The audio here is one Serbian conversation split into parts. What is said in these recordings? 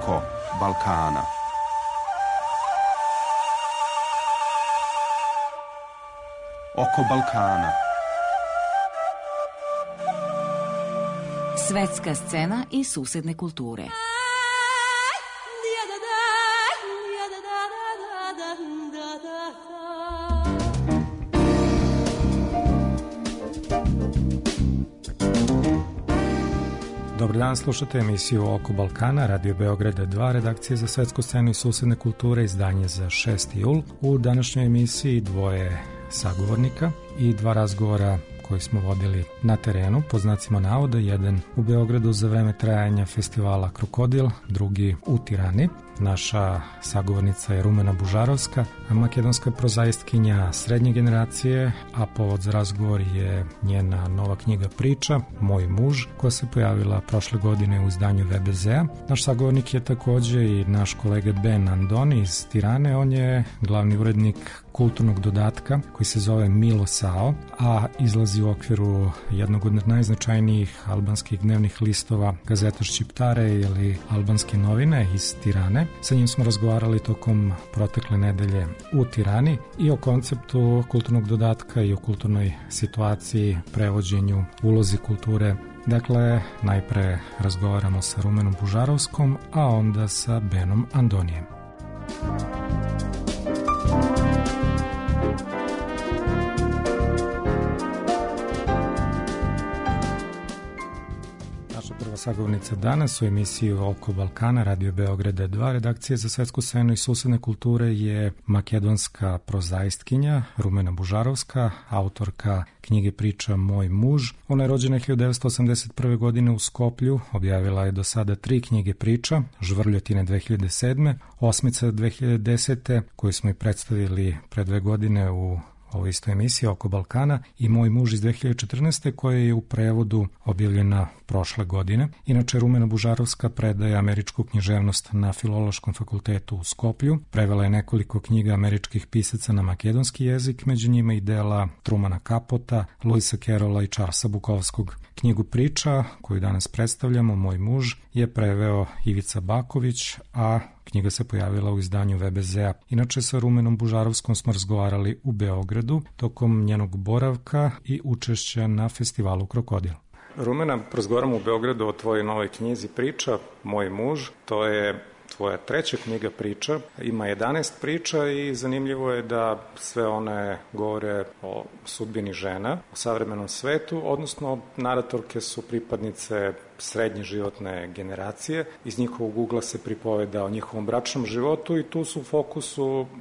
Oko Balkana. Oko Balkana. Svetska scena i susedne kulture. Dobar dan, slušate emisiju Oko Balkana, Radio Beograda 2, redakcije za svetsku scenu i susedne kulture, izdanje za 6. jul. U današnjoj emisiji dvoje sagovornika i dva razgovora koji smo vodili na terenu, po znacima navoda, jedan u Beogradu za vreme trajanja festivala Krokodil, drugi u Tirani. Naša sagovornica je Rumena Bužarovska, makedonska prozaistkinja srednje generacije, a povod za razgovor je njena nova knjiga Priča, Moj muž, koja se pojavila prošle godine u izdanju VBZ-a. Naš sagovornik je takođe i naš kolega Ben Andoni iz Tirane, on je glavni urednik kulturnog dodatka koji se zove Milo Sao, a izlazi u okviru jednog od najznačajnijih albanskih dnevnih listova Gazeta Šćiptare ili Albanske novine iz Tirane. Sa njim smo razgovarali tokom protekle nedelje u Tirani i o konceptu kulturnog dodatka i o kulturnoj situaciji, prevođenju, ulozi kulture. Dakle, najpre razgovaramo sa Rumenom Bužarovskom, a onda sa Benom Andonijem. Prva sagovornica danas u emisiju Oko Balkana, Radio Beograda 2, redakcije za svetsku scenu i susedne kulture je makedonska prozaistkinja Rumena Bužarovska, autorka knjige Priča Moj muž. Ona je rođena 1981. godine u Skoplju, objavila je do sada 3 knjige priča, Žvrljotine 2007. Osmica 2010. koju smo i predstavili pre 2 godine u ovo isto emisija Oko Balkana i Moj muž iz 2014. koja je u prevodu objavljena prošle godine. Inače, Rumena Bužarovska predaje američku književnost na Filološkom fakultetu u Skoplju. Prevela je nekoliko knjiga američkih pisaca na makedonski jezik, među njima i dela Trumana Kapota, Luisa Carrolla i Charlesa Bukovskog. Knjigu Priča, koju danas predstavljamo, Moj muž, je preveo Ivica Baković, a knjiga se pojavila u izdanju VBZ-a. Inače, sa Rumenom Bužarovskom smo razgovarali u Beogradu tokom njenog boravka i učešća na festivalu Krokodil. Rumena, razgovaramo u Beogradu o tvojoj novoj knjizi Priča, Moj muž. To je tvoja 3. knjiga priča, ima 11 priča i zanimljivo je da sve one govore o sudbini žena, o savremenom svetu, odnosno naratorke su pripadnice srednje životne generacije. Iz njihovog ugla se pripoveda o njihovom bračnom životu i tu su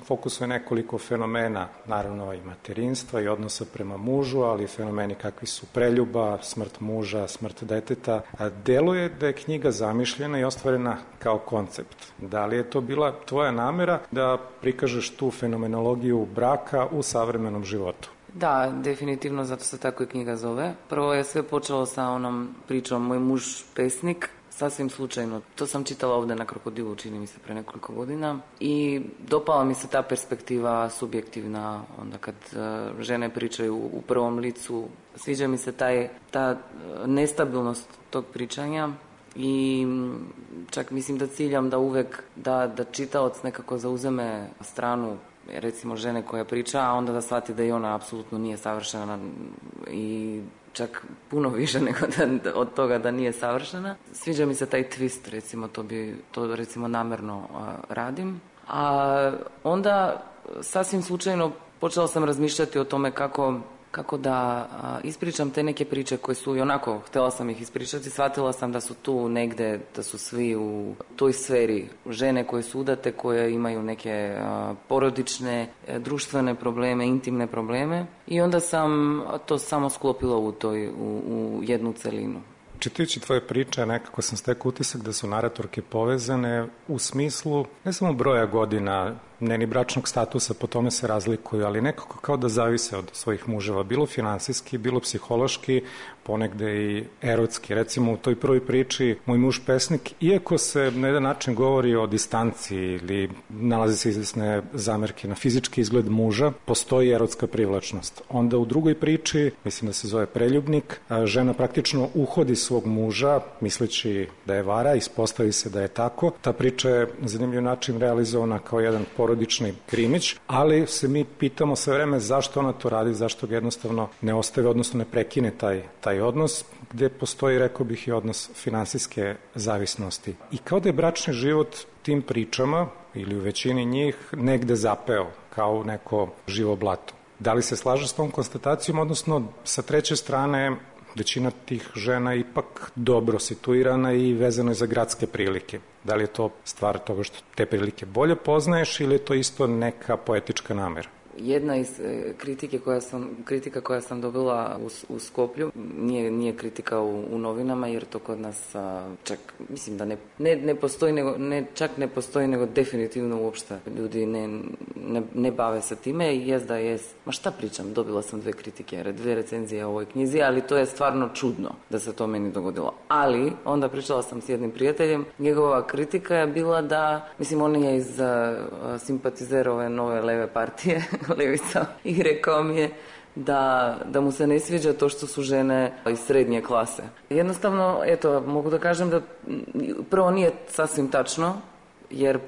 fokusu je nekoliko fenomena, naravno i materinstva i odnosa prema mužu, ali fenomeni kakvi su preljuba, smrt muža, smrt deteta. A deluje da je knjiga zamišljena i ostvarena kao koncept. Da li je to bila tvoja namera da prikažeš tu fenomenologiju braka u savremenom životu? Da, definitivno, zato se tako i knjiga zove. Prvo je sve počelo sa onom pričom Moj muž pesnik, sasvim slučajno. To sam čitala ovde na Krokodilu, čini mi se, pre nekoliko godina i dopala mi se ta perspektiva subjektivna, onda kad žene pričaju u prvom licu. Sviđa mi se ta nestabilnost tog pričanja i čak mislim da ciljam da uvek da čitaoc nekako zauzeme stranu recimo žene koja priča, a onda da shvati da i ona apsolutno nije savršena i čak puno više nego od toga da nije savršena. Sviđa mi se taj twist, recimo, to recimo namerno radim. A onda sasvim slučajno počela sam razmišljati o tome kako da ispričam te neke priče koje su i onako, htela sam ih ispričati, shvatila sam da su tu negde, da su svi u toj sferi žene koje su udate, koje imaju neke porodične, društvene probleme, intimne probleme i onda sam to samo sklopila u jednu celinu. Čitajući tvoje priče, nekako sam stekao utisak da su naratorke povezane u smislu ne samo broja godina ne ni bračnog statusa, po tome se razlikuju, ali nekako kao da zavise od svojih muževa, bilo finansijski, bilo psihološki, ponegde i erotski. Recimo u toj prvoj priči moj muž pesnik, iako se na jedan način govori o distanci ili nalazi se izvesne zamerke na fizički izgled muža, postoji erotska privlačnost. Onda u drugoj priči, mislim da se zove Preljubnik, žena praktično uhodi svog muža misleći da je vara, ispostavi se da je tako. Ta priča je na zanimljiv način realizovana kao jedan porodični krimić, ali se mi pitamo sve vreme zašto ona to radi, zašto ga jednostavno ne ostave, odnosno ne prekine taj odnos, gde postoji, rekao bih, i odnos finansijske zavisnosti. I kao da je bračni život tim pričama, ili u većini njih, negde zapeo, kao neko živo blato. Da li se slaže s tom konstatacijom, odnosno sa treće strane većina tih žena je ipak dobro situirana i vezano je za gradske prilike. Da li je to stvar toga što te prilike bolje poznaješ ili je to isto neka poetička namera? Jedna iz kritika koja sam dobila u Skoplju, nije kritika u novinama, jer to kod nas čak, mislim da ne postoji, čak ne postoji, nego definitivno uopšte ljudi ne bave se time i jest da jest. Ma šta pričam, dobila sam 2 kritike, 2 recenzije o ovoj knjizi, ali to je stvarno čudno da se to meni dogodilo. Ali, onda pričala sam s jednim prijateljem, njegova kritika je bila da, mislim, on je iz simpatizer ove nove leve partije, levica, i rekao mi je da mu se ne sviđa to što su žene iz srednje klase. Jednostavno, eto, mogu da kažem da prvo nije sasvim tačno, jer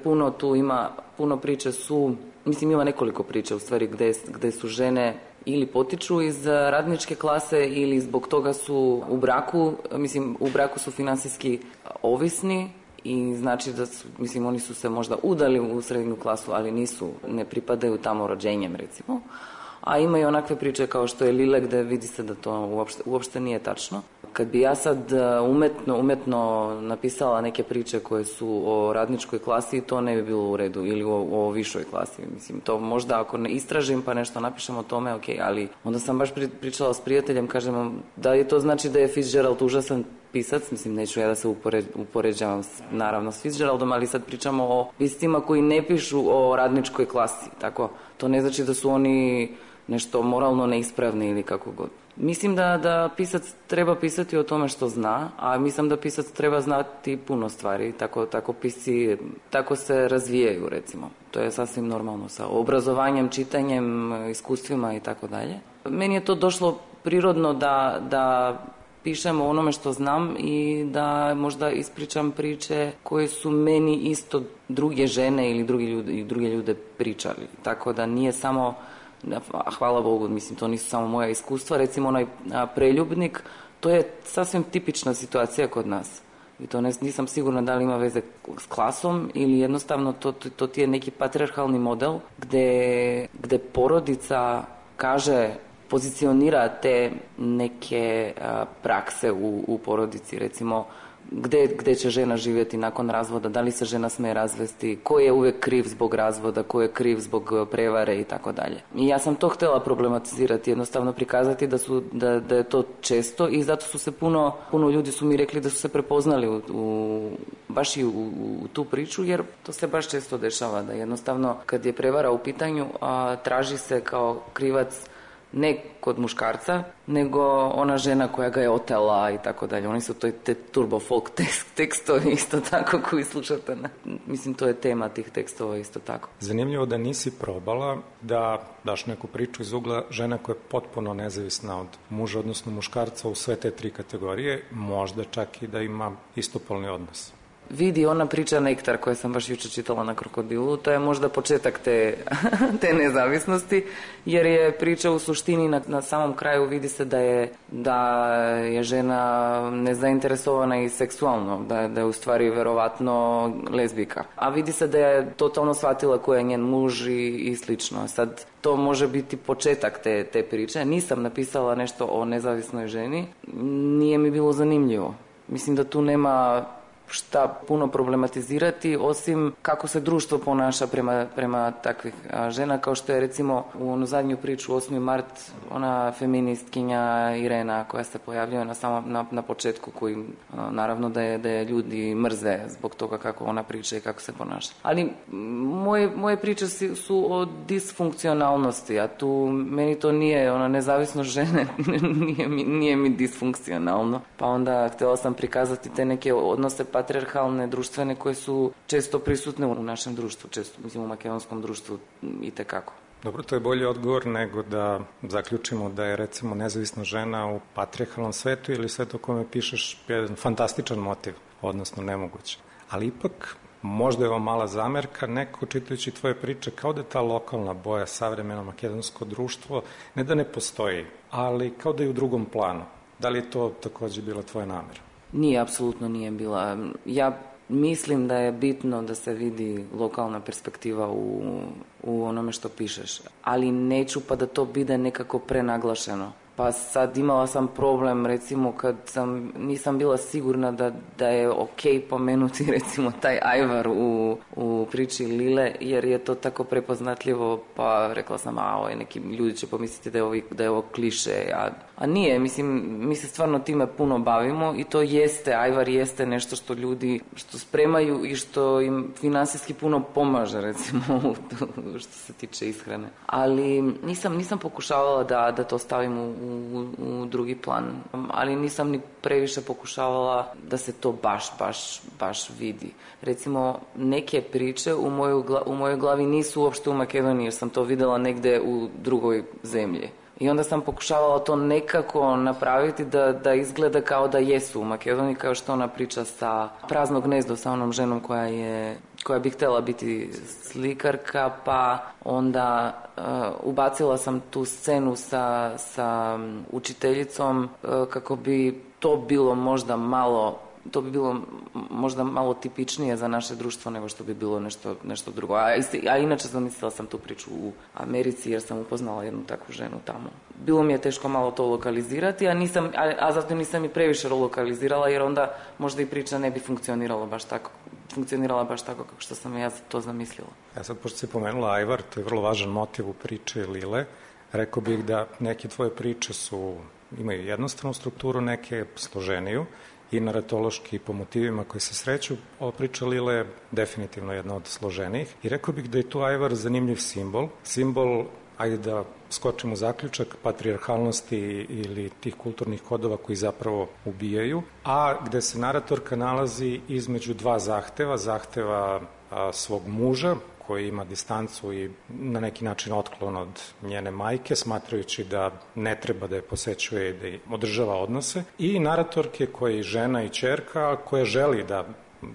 puno priče su, mislim, ima nekoliko priča u stvari gde su žene ili potiču iz radničke klase ili zbog toga su u braku, mislim, u braku su finansijski ovisni. I znači da su, mislim, oni su se možda udali u srednju klasu, ali ne pripadaju tamo rođenjem, recimo. A ima i onakve priče kao što je Lile, gde vidi se da to uopšte nije tačno. Kad bi ja sad umetno napisala neke priče koje su o radničkoj klasi, to ne bi bilo u redu, ili o višoj klasi. Mislim, to možda ako ne istražim pa nešto napišem o tome, ok, ali onda sam baš pričala s prijateljem, kažem, da je to znači da je Fitzgerald užasan pisac, mislim, neću ja da se upoređavam naravno s Fitzgeraldom, ali sad pričamo o piscima koji ne pišu o radničkoj klasi, tako, to ne znači da su oni nešto moralno neispravni ili kako god. Mislim da pisac treba pisati o tome što zna, a mislim da pisac treba znati puno stvari, tako pisci, tako se razvijaju, recimo. To je sasvim normalno sa obrazovanjem, čitanjem, iskustvima i tako dalje. Meni je to došlo prirodno da pišem o onome što znam i da možda ispričam priče koje su meni isto druge žene ili druge ljude pričali. Tako da nije samo, hvala Bogu, mislim, to nisu samo moja iskustva. Recimo onaj Preljubnik, to je sasvim tipična situacija kod nas. I to nisam sigurna da li ima veze s klasom ili jednostavno to ti je neki patrijarhalni model gde porodica pozicionira te neke prakse u porodici, recimo gde će žena živjeti nakon razvoda, da li se žena sme razvesti, ko je uvek kriv zbog razvoda, ko je kriv zbog prevare i tako dalje. I ja sam to htjela problematizirati, jednostavno prikazati da je to često i zato su se puno ljudi su mi rekli da su se prepoznali baš i u tu priču, jer to se baš često dešava, da jednostavno kad je prevara u pitanju traži se kao krivac ne kod muškarca, nego ona žena koja ga je otela i tako dalje. Oni su te turbo folk tekstovi isto tako koji slušate. Mislim, to je tema tih tekstova isto tako. Zanimljivo da nisi probala da daš neku priču iz ugla žena koja je potpuno nezavisna od muža, odnosno muškarca u sve te 3 kategorije, možda čak i da ima istopolni odnos. Vidi, ona priča Nektar koja sam baš jučer čitala na Krokodilu, to je možda početak te nezavisnosti, jer je priča u suštini na samom kraju vidi se da je žena nezainteresovana i seksualno, da je u stvari verovatno lezbijka. A vidi se da je totalno shvatila ko je njen muž i slično. Sad, to može biti početak te priče. Nisam napisala nešto o nezavisnoj ženi, nije mi bilo zanimljivo. Mislim da tu nema šta puno problematizirati, osim kako se društvo ponaša prema takvih žena, kao što je recimo u onu zadnju priču 8. mart, ona feministkinja Irena koja se pojavljuje na početku, koji naravno da je ljudi mrze zbog toga kako ona priča i kako se ponaša. Ali moje priče su o disfunkcionalnosti, a tu meni to nije, nezavisnost žene nije mi disfunkcionalno. Pa onda htjela sam prikazati te neke odnose patrijarhalne, društvene, koje su često prisutne u našem društvu, mislim u makedonskom društvu itekako. Dobro, to je bolji odgovor nego da zaključimo da je recimo nezavisna žena u patrijarhalnom svetu ili svetu o kome pišeš jedan fantastičan motiv, odnosno nemoguće. Ali ipak, možda je ovo mala zamerka, neko čitajući tvoje priče kao da ta lokalna boja, savremeno makedonsko društvo, ne da ne postoji, ali kao da je u drugom planu. Da li je to takođe bila tvoja namera? Nije, apsolutno nije bila. Ja mislim da je bitno da se vidi lokalna perspektiva u onome što pišeš, ali neću pa da to bude nekako prenaglašeno. Pa sad imala sam problem, recimo, kad nisam bila sigurna da je okej pomenuti, recimo, taj ajvar u priči Lile, jer je to tako prepoznatljivo, pa rekla sam, neki ljudi će pomisliti da je ovo kliše, a nije, mislim, mi se stvarno time puno bavimo i to jeste, ajvar jeste nešto što ljudi što spremaju i što im finansijski puno pomaže, recimo, što se tiče ishrane. Ali nisam pokušavala da to stavim u drugi plan, ali nisam ni previše pokušavala da se to baš vidi. Recimo, neke priče u mojoj glavi nisu uopšte u Makedoniji, jer sam to videla negde u drugoj zemlji. I onda sam pokušavala to nekako napraviti da izgleda kao da jesu u Makedoniji, kao što ona priča sa Prazno gnezdo, sa onom ženom koja bi htjela biti slikarka, pa onda ubacila sam tu scenu sa učiteljicom kako bi to bilo možda malo tipičnije za naše društvo nego što bi bilo nešto drugo. A inače zamislila sam tu priču u Americi jer sam upoznala jednu takvu ženu tamo. Bilo mi je teško malo to lokalizirati, a zato nisam i previše lokalizirala jer onda možda i priča ne bi funkcionirala baš tako kako što sam ja to zamislila. Ja sad, pošto si pomenula ajvar, to je vrlo važan motiv u priči Lile. Rekao bih da neke tvoje priče imaju jednostavnu strukturu, neke složeniju i naratološki po motivima koji se sreću. Ova priča Lile je definitivno jedna od složenijih i rekao bih da je tu ajvar zanimljiv simbol, ajde da skočimo u zaključak, patrijarhalnosti ili tih kulturnih kodova koji zapravo ubijaju, a gde se naratorka nalazi između dva zahteva svog muža, koji ima distancu i na neki način otklon od njene majke, smatrajući da ne treba da je posećuje i da je održava odnose, i naratorke koja je žena i ćerka koja želi da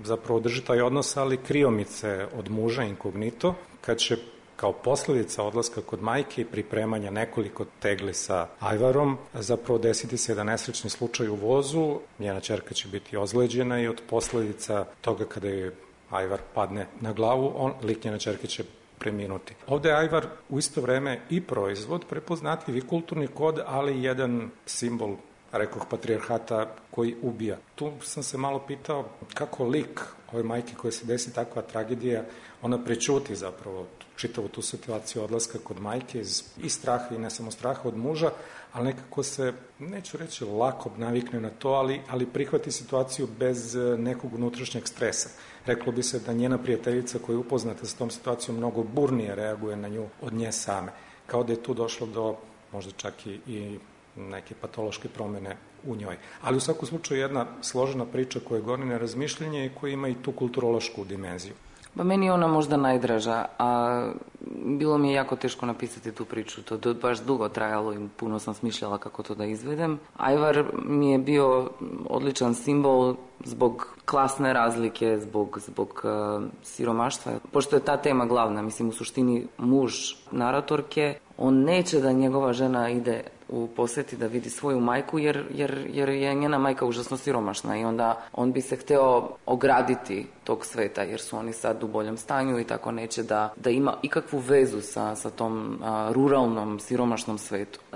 zapravo održi taj odnos, ali kriomice od muža inkognito, kad će kao posledica odlaska kod majke i pripremanja nekoliko tegli sa ajvarom, zapravo desiti se jedan nesrećni slučaj u vozu, njena ćerka će biti ozleđena i od posledica toga kada je ajvar padne na glavu, lik njene ćerke će preminuti. Ovde je ajvar u isto vreme i proizvod, prepoznatljiv i kulturni kod, ali jedan simbol, rekoh, patrijarhata koji ubija. Tu sam se malo pitao kako lik ove majke koje se desi takva tragedija, ona prećuti zapravo čitavu tu situaciju odlaska kod majke i straha i ne samo straha od muža, ali nekako se, neću reći lako navikne na to, ali prihvati situaciju bez nekog unutrašnjeg stresa. Reklo bi se da njena prijateljica koja je upoznata sa tom situacijom mnogo burnije reaguje na nju od nje same. Kao da je tu došlo do možda čak i neke patološke promene u njoj. Ali u svakom slučaju jedna složena priča koja goni na razmišljanje i koja ima i tu kulturološku dimenziju. Pa meni je ona možda najdraža, a bilo mi je jako teško napisati tu priču. To je baš dugo trajalo i puno sam smišljala kako to da izvedem. Ajvar mi je bio odličan simbol zbog klasne razlike, zbog siromaštva. Pošto je ta tema glavna, mislim, u suštini muž naratorke, on neće da njegova žena ide u poseti da vidi svoju majku jer je njena majka užasno siromašna i onda on bi se hteo ograditi tog sveta jer su oni sad u boljem stanju i tako neće da ima ikakvu vezu sa tom ruralnom, siromašnom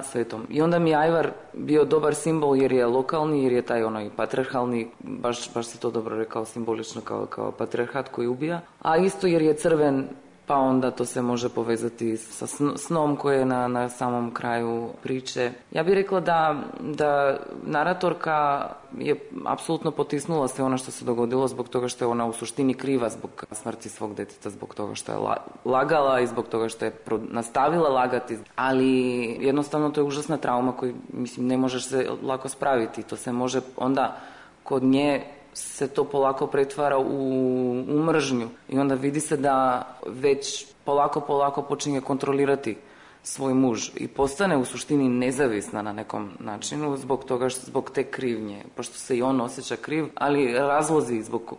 svetom. I onda mi je Ajvar bio dobar simbol jer je lokalni, jer je taj onaj patriarhalni, baš si to dobro rekao, simbolično kao patriarhat koji ubija, a isto jer je crven, pa onda to se može povezati sa snom koje je na samom kraju priče. Ja bih rekla da naratorka je apsolutno potisnula sve ono što se dogodilo zbog toga što je ona u suštini kriva zbog smrti svog deteta, zbog toga što je lagala i zbog toga što je nastavila lagati. Ali jednostavno to je užasna trauma koju, mislim, ne možeš se lako spraviti. To se može onda kod nje se to polako pretvara u mržnju i onda vidi se da već polako počinje kontrolirati svoj muž i postane u suštini nezavisna na nekom načinu zbog te krivnje, pošto se i on osjeća kriv, ali razlozi zbog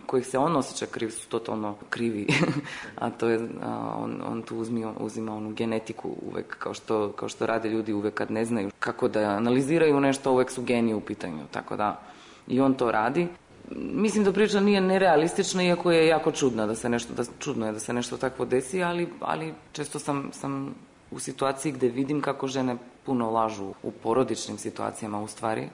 kojih se on osjeća kriv su totalno krivi, a to je, on tu uzima onu genetiku uvek, kao što rade ljudi uvek kad ne znaju kako da analiziraju nešto, uvek su geni u pitanju, tako da i on to radi. Mislim da priča nije nerealistična, iako je jako čudna čudno je da se nešto takvo desi, ali često sam u situaciji gde vidim kako žene puno lažu u porodičnim situacijama u stvari,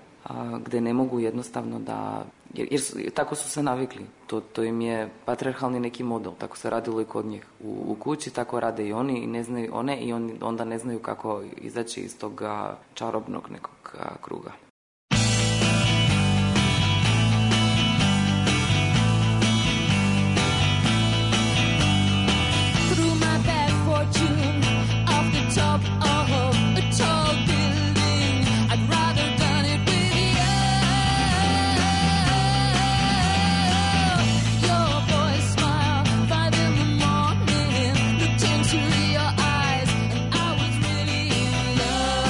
gde ne mogu jednostavno da, jer tako su se navikli. To im je patriarhalni neki model, tako se radilo i kod njih u kući, tako rade i oni i ne znaju one i onda ne znaju kako izaći iz tog čarobnog nekog kruga. Top of a tall building, I'd rather done it with you. Your boy's smile, 5 in the morning, looked into your eyes, and I was really in love.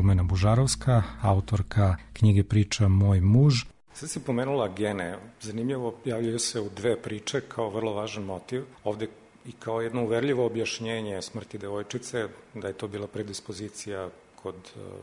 Rumena Bužarovska, autorka knjige priča Moj muž. Sad si pomenula gene. Zanimljivo, javljaju se u dve priče kao vrlo važan motiv. Ovde i kao jedno uverljivo objašnjenje smrti devojčice, da je to bila predispozicija kod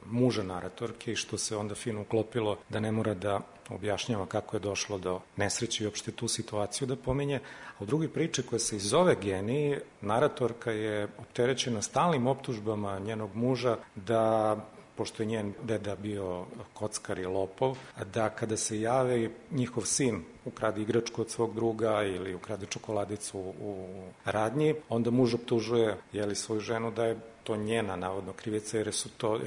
muža naratorke i što se onda fino uklopilo da ne mora da objašnjava kako je došlo do nesreće i uopšte tu situaciju da pominje. A u drugoj priči koja se zove Geni, naratorka je opterećena stalnim optužbama njenog muža da, pošto je njen deda bio kockar i lopov, da kada se javi njihov sin ukrade igračku od svog druga ili ukrade čokoladicu u radnji, onda muž optužuje svoju ženu da je to njena navodno krivica jer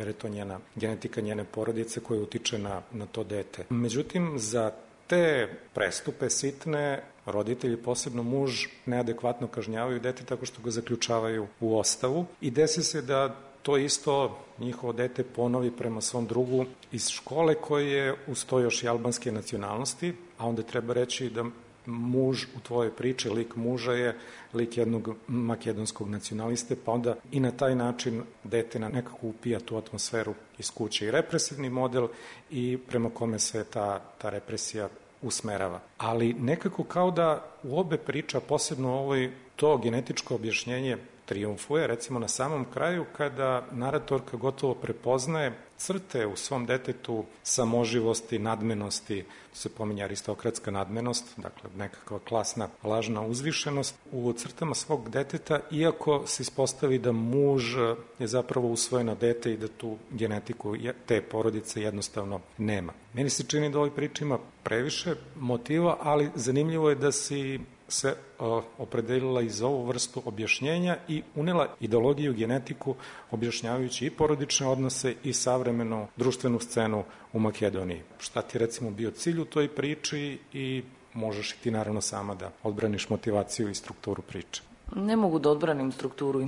je to njena genetika njene porodice koja utiče na to dete. Međutim, za te prestupe sitne roditelji, posebno muž, neadekvatno kažnjavaju dete tako što ga zaključavaju u ostavu i desi se da to isto njihovo dete ponovi prema svom drugu iz škole koji je uz to još i albanske nacionalnosti, a onda treba reći da muž u tvojoj priči, lik muža je lik jednog makedonskog nacionaliste, pa onda i na taj način dete nekako upija tu atmosferu iz kuće. I represivni model i prema kome se ta represija usmerava. Ali nekako kao da u obe priča, posebno ovoj, to genetičko objašnjenje triumfuje, recimo na samom kraju kada naratorka gotovo prepoznaje crte u svom detetu samoživosti, nadmenosti, to se pominje aristokratska nadmenost, dakle nekakva klasna lažna uzvišenost u crtama svog deteta, iako se ispostavi da muž je zapravo usvojeno dete i da tu genetiku te porodice jednostavno nema. Meni se čini da ovoj priči ima previše motiva, ali zanimljivo je da si se opredelila i za ovu vrstu objašnjenja i unela ideologiju, genetiku, objašnjavajući i porodične odnose i savremenu društvenu scenu u Makedoniji. Šta ti recimo bio cilj u toj priči i možeš i ti naravno sama da odbraniš motivaciju i strukturu priče. Ne mogu da odbranim strukturu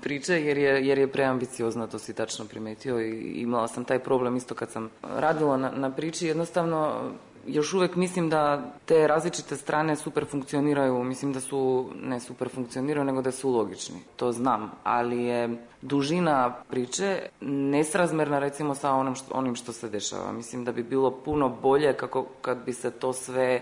priče jer je preambiciozna, to si tačno primetio i imala sam taj problem isto kad sam radila na priči. Jednostavno, još uvek mislim da te različite strane super funkcioniraju, mislim da su, ne super funkcioniraju, nego da su logični. To znam, ali je dužina priče nesrazmerna recimo sa onim što se dešava. Mislim da bi bilo puno bolje kad bi se to sve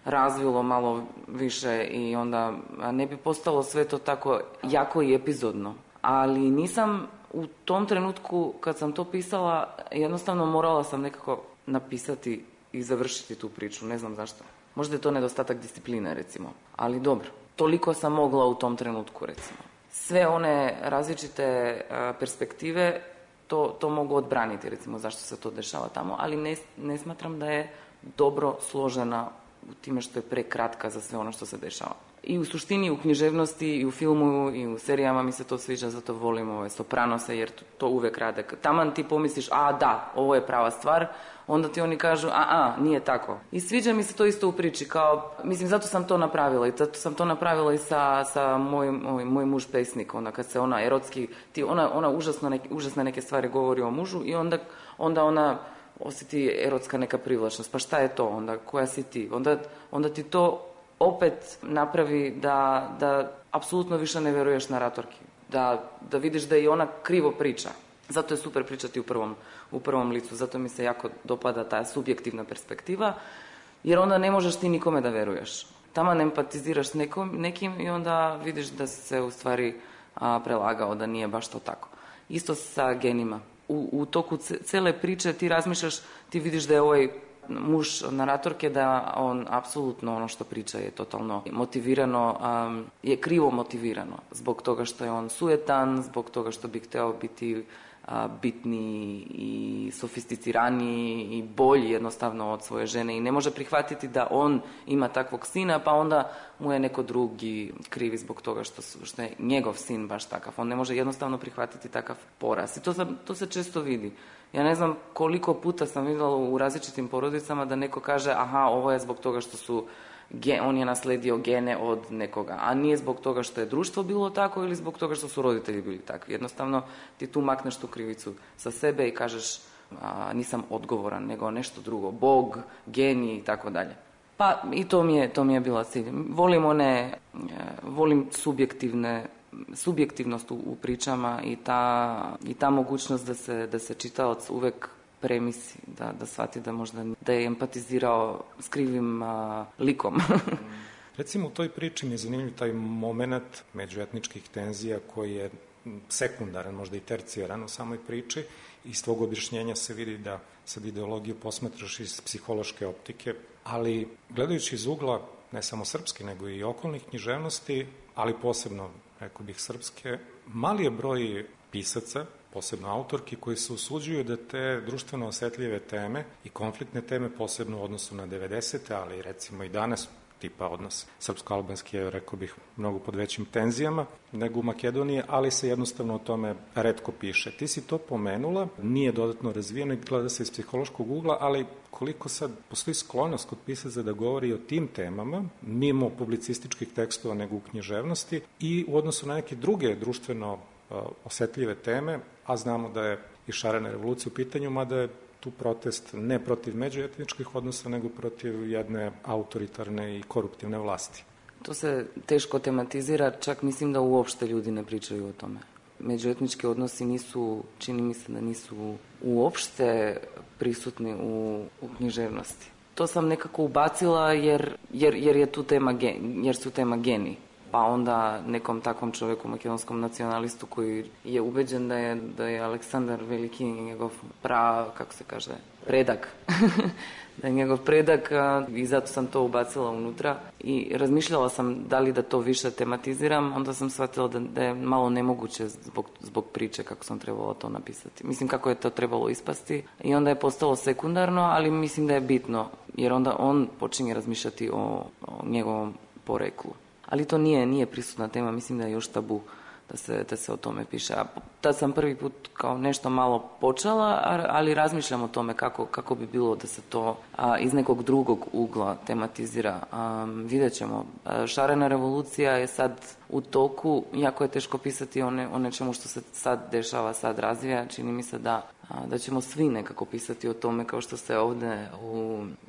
razvilo malo više i onda ne bi postalo sve to tako jako i epizodno. Ali nisam u tom trenutku kad sam to pisala, jednostavno morala sam nekako napisati i završiti tu priču, ne znam zašto. Možda je to nedostatak discipline recimo, ali dobro. Toliko sam mogla u tom trenutku recimo. Sve one različite perspektive to mogu odbraniti recimo zašto se to dešava tamo, ali ne smatram da je dobro složena u time što je prekratka za sve ono što se dešava. I u suštini, u književnosti, i u filmu, i u serijama mi se to sviđa, zato volim ove Sopranose, jer to uvek rade. Taman ti pomisliš, da, ovo je prava stvar, onda ti oni kažu, nije tako. I sviđa mi se to isto u priči, kao, mislim, zato sam to napravila. I zato sam to napravila i sa moj muž pesnik, onda kad se ona erotski, ona užasne neke stvari govori o mužu i onda ona osjeti erotska neka privlačnost. Pa šta je to onda? Koja si ti? Onda ti to opet napravi da apsolutno više ne veruješ naratorki. Da vidiš da i ona krivo priča. Zato je super pričati u prvom licu. Zato mi se jako dopada ta subjektivna perspektiva. Jer onda ne možeš ti nikome da veruješ. Taman empatiziraš s nekim i onda vidiš da se u stvari prelagao, da nije baš to tako. Isto sa genima. U toku cele priče ti razmišljaš, ti vidiš da je ovaj muž naratorke, da on apsolutno ono što priča je totalno motivirano, je krivo motivirano. Zbog toga što je on sujetan, zbog toga što bi hteo biti bitniji i sofisticiraniji i bolji jednostavno od svoje žene i ne može prihvatiti da on ima takvog sina, pa onda mu je neko drugi krivi zbog toga što je njegov sin baš takav. On ne može jednostavno prihvatiti takav poraz. I to se često vidi. Ja ne znam koliko puta sam vidjela u različitim porodicama da neko kaže ovo je zbog toga što on je nasledio gene od nekoga, a nije zbog toga što je društvo bilo tako ili zbog toga što su roditelji bili takvi. Jednostavno ti tu makneš tu krivicu sa sebe i kažeš nisam odgovoran, nego nešto drugo, Bog, geni i tako dalje. Pa i to mi je bila cilj. Volim subjektivne subjektivnost u pričama i ta mogućnost da se čitalac uvek premisli, da shvati da možda da je empatizirao s krivim likom. Recimo u toj priči mi je zanimljiv taj moment međuetničkih tenzija koji je sekundaran, možda i tercijaran u samoj priči. Iz tvog objašnjenja se vidi da sad ideologiju posmatraš iz psihološke optike, ali gledajući iz ugla ne samo srpske, nego i okolnih književnosti, ali posebno, rekao bih, srpske, mali je broj pisaca, posebno autorki, koji se usuđuju da te društveno osetljive teme i konfliktne teme, posebno u odnosu na 90. ali recimo i danas, tipa odnos srpsko-albanski je, rekao bih, mnogo pod većim tenzijama nego u Makedoniji, ali se jednostavno o tome retko piše. Ti si to pomenula, nije dodatno razvijeno i gleda se iz psihološkog ugla, ali koliko sad postoji sklonost kod pisaca da govori o tim temama, mimo publicističkih tekstova nego u književnosti i u odnosu na neke druge društveno osetljive teme, a znamo da je i šarena revolucija u pitanju, mada je tu protest ne protiv međuetničkih odnosa, nego protiv jedne autoritarne i koruptivne vlasti. To se teško tematizira, čak mislim da uopšte ljudi ne pričaju o tome. Međuetnički odnosi nisu, čini mi se da nisu uopšte prisutni u književnosti. To sam nekako ubacila jer su tema geni. Pa onda nekom takvom čovjeku, makedonskom nacionalistu koji je ubeđen da je Aleksandar Veliki njegov predak. Da je njegov predak i zato sam to ubacila unutra i razmišljala sam da li da to više tematiziram, onda sam shvatila da je malo nemoguće zbog priče kako sam trebala to napisati. Mislim kako je to trebalo ispasti i onda je postalo sekundarno, ali mislim da je bitno jer onda on počinje razmišljati o njegovom poreklu. Ali to nije prisutna tema, mislim da je još tabu da se o tome piše. A tad sam prvi put kao nešto malo počela, ali razmišljam o tome kako bi bilo da se to iz nekog drugog ugla tematizira. Vidjet ćemo. Šarena revolucija je sad u toku, jako je teško pisati o nečemu što se sad dešava, sad razvija. Čini mi se da ćemo svi nekako pisati o tome kao što se ovdje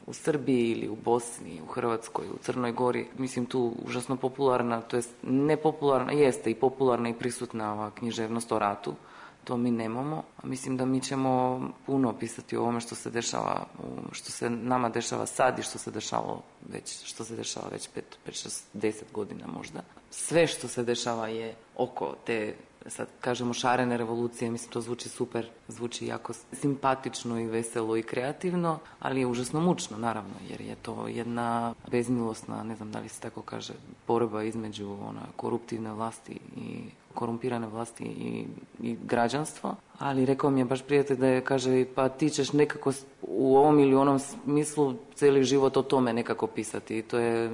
u Srbiji ili u Bosni, u Hrvatskoj, u Crnoj Gori, mislim tu užasno popularna, to jest nepopularna, jeste i popularna i prisutna ova književnost o ratu, to mi nemamo. Mislim da mi ćemo puno pisati o ovome što se dešava, što se nama dešava sad i što se dešava već 5-6-10 godina možda. Sve što se dešava je oko te, sad kažemo, šarene revolucije, mislim to zvuči super, zvuči jako simpatično i veselo i kreativno, ali je užasno mučno naravno, jer je to jedna bezmilosna, ne znam da li se tako kaže, borba između koruptivne vlasti i korumpirane vlasti i građanstvo, ali rekao mi je baš prijatelj da je, kaže, pa ti ćeš nekako u ovom ili onom smislu cijeli život o tome nekako pisati i to je,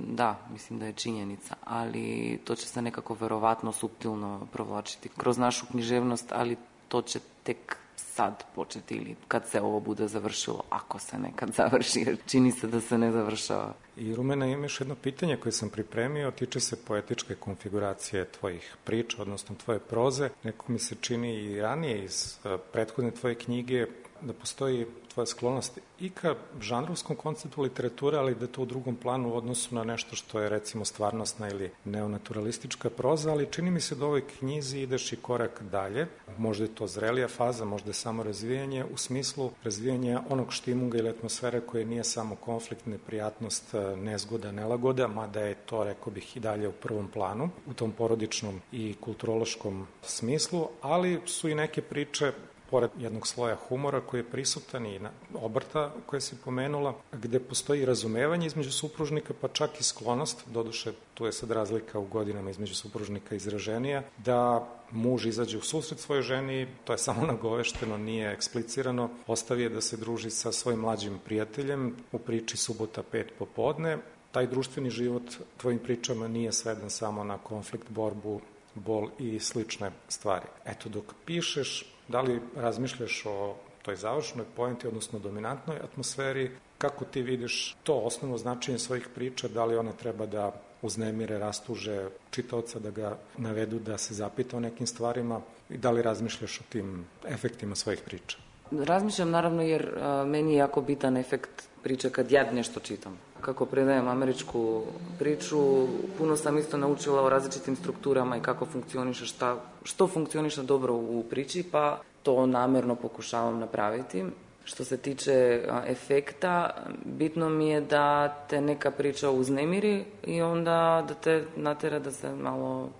da, mislim da je činjenica, ali to će se nekako verovatno suptilno provlačiti kroz našu književnost, ali to će tek sad početi ili kad se ovo bude završilo, ako se nekad završi, jer čini se da se ne završava. I Rumena, imaš jedno pitanje koje sam pripremio, tiče se poetičke konfiguracije tvojih priča, odnosno tvoje proze. Neko mi se čini i ranije iz prethodne tvoje knjige da postoji tvoja sklonost i ka žanrovskom konceptu literature, ali da je to u drugom planu u odnosu na nešto što je recimo stvarnostna ili neonaturalistička proza, ali čini mi se da u ovoj knjizi ideš i korak dalje. Možda je to zrelija faza, možda je samo razvijanje u smislu razvijanja onog štimunga ili atmosfere koje nije samo konflikt, neprijatnost, nezgoda, nelagoda, mada je to, rekao bih, i dalje u prvom planu, u tom porodičnom i kulturološkom smislu, ali su i neke priče pored jednog sloja humora koji je prisutan i obrta koje si pomenula, gde postoji razumevanje između supružnika, pa čak i sklonost, doduše tu je sad razlika u godinama između supružnika izraženija, da muž izađe u susret svojoj ženi, to je samo nagovešteno, nije eksplicirano, ostavi je da se druži sa svojim mlađim prijateljem u priči Subota 5 popodne. Taj društveni život tvojim pričama nije sveden samo na konflikt, borbu, bol i slične stvari. Eto, dok pišeš, da li razmišljaš o toj završnoj poenti, odnosno dominantnoj atmosferi, kako ti vidiš to osnovno značenje svojih priča, da li one treba da uznemire, rastuže čitaoca, da ga navedu da se zapita o nekim stvarima i da li razmišljaš o tim efektima svojih priča? Razmišljam naravno jer meni je jako bitan efekt priče kad ja nešto čitam. kako predajem američku priču, puno sam isto naučila o različitim strukturama i kako funkcioniše, što funkcioniše dobro u priči, pa to namjerno pokušavam napraviti. Što se tiče efekta, bitno mi je da te neka priča uznemiri i onda da te natjera da se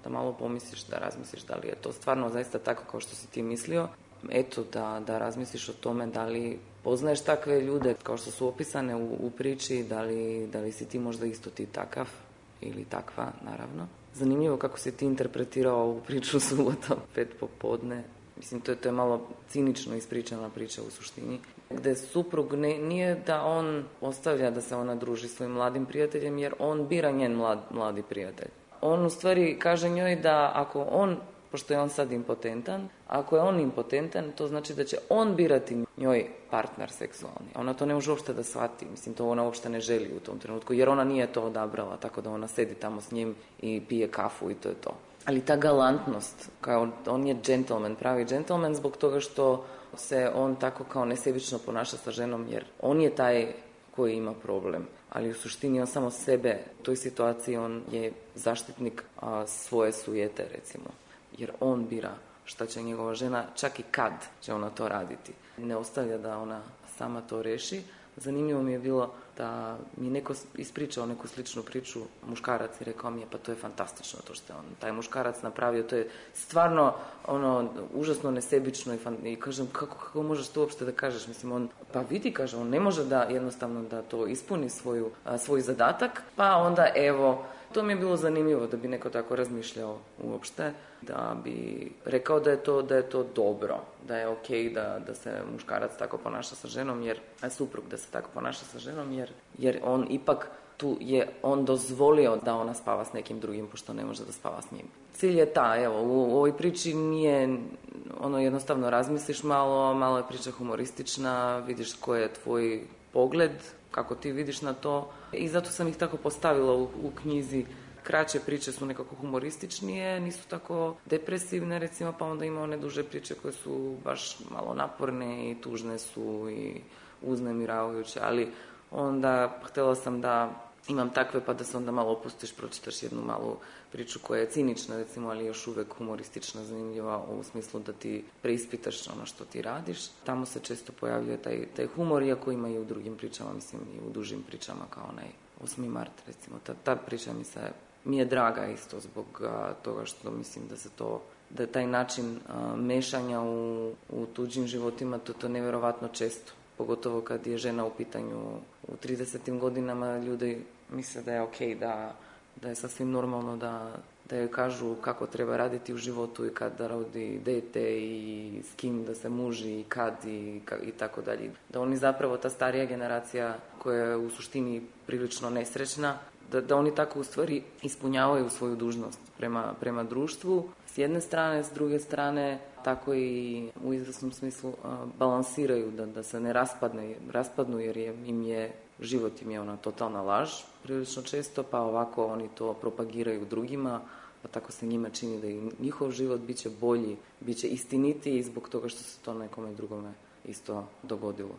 malo pomisliš, da razmisliš da li je to stvarno zaista tako kao što si ti mislio. Eto, da razmisliš o tome da li poznaješ takve ljude kao što su opisane u priči, da li si ti možda isto ti takav ili takva, naravno. Zanimljivo kako si ti interpretirao ovu priču subotom 5 popodne. Mislim, to je malo cinično ispričana priča u suštini. Gde suprug nije da on ostavlja da se ona druži svojim mladim prijateljem, jer on bira njen mladi prijatelj. On u stvari kaže njoj da ako on, pošto je on sad impotentan, ako je on impotentan, to znači da će on birati njoj partner seksualni. Ona to ne može uopšte da shvati. Mislim, to ona uopšte ne želi u tom trenutku, jer ona nije to odabrala, tako da ona sedi tamo s njim i pije kafu i to je to. Ali ta galantnost, kao on je džentlmen, pravi džentlmen zbog toga što se on tako kao nesebično ponaša sa ženom, jer on je taj koji ima problem. Ali u suštini on samo sebe, u toj situaciji on je zaštitnik svoje sujete, recimo. Jer on bira šta će njegova žena, čak i kad će ona to raditi. Ne ostavlja da ona sama to reši. Zanimljivo mi je bilo da mi neko ispričao neku sličnu priču, muškarac, i rekao mi je pa to je fantastično to što je on, taj muškarac napravio, to je stvarno užasno nesebično i kažem kako možeš to uopšte da kažeš, mislim on, pa vidi, kaže, on ne može da jednostavno da to ispuni svoj zadatak, pa onda evo, to mi je bilo zanimljivo da bi neko tako razmišljao uopšte, da bi rekao da je to dobro, da je okej da se muškarac tako ponaša sa ženom, jer suprug da se tako ponaša sa ženom, jer on ipak tu je on dozvolio da ona spava s nekim drugim, pošto ne može da spava s njim. Cilj je evo, u ovoj priči nije, jednostavno razmisliš malo je priča humoristična, vidiš koji je tvoj pogled, kako ti vidiš na to, i zato sam ih tako postavila u knjizi. Kraće priče su nekako humorističnije, nisu tako depresivne, recimo, pa onda ima one duže priče koje su baš malo naporne i tužne su i uznemiravajuće, ali onda htjela sam da imam takve pa da se onda malo opustiš, pročitaš jednu malu priču koja je cinična, recimo, ali još uvek humoristična, zanimljiva u smislu da ti preispitaš ono što ti radiš. Tamo se često pojavljuje taj humor, iako ima i u drugim pričama, mislim i u dužim pričama kao onaj 8. mart, recimo. Ta priča mi je draga isto zbog toga što mislim da je taj način mešanja u tuđim životima, to je nevjerovatno često. Pogotovo kad je žena u pitanju u 30. godinama, ljudi misle da je okej, da je sasvim normalno da joj kažu kako treba raditi u životu i kad da rodi dete i s kim da se muži i kad i tako dalje. Da oni zapravo, ta starija generacija koja je u suštini prilično nesrećna, da oni tako u stvari ispunjavaju svoju dužnost prema društvu. S jedne strane, s druge strane, tako i u izvesnom smislu balansiraju da se ne raspadnu jer život im je ona totalna laž prilično često, pa ovako oni to propagiraju drugima, pa tako se njima čini da i njihov život biće bolji, biće istinitiji zbog toga što se to nekome drugome isto dogodilo.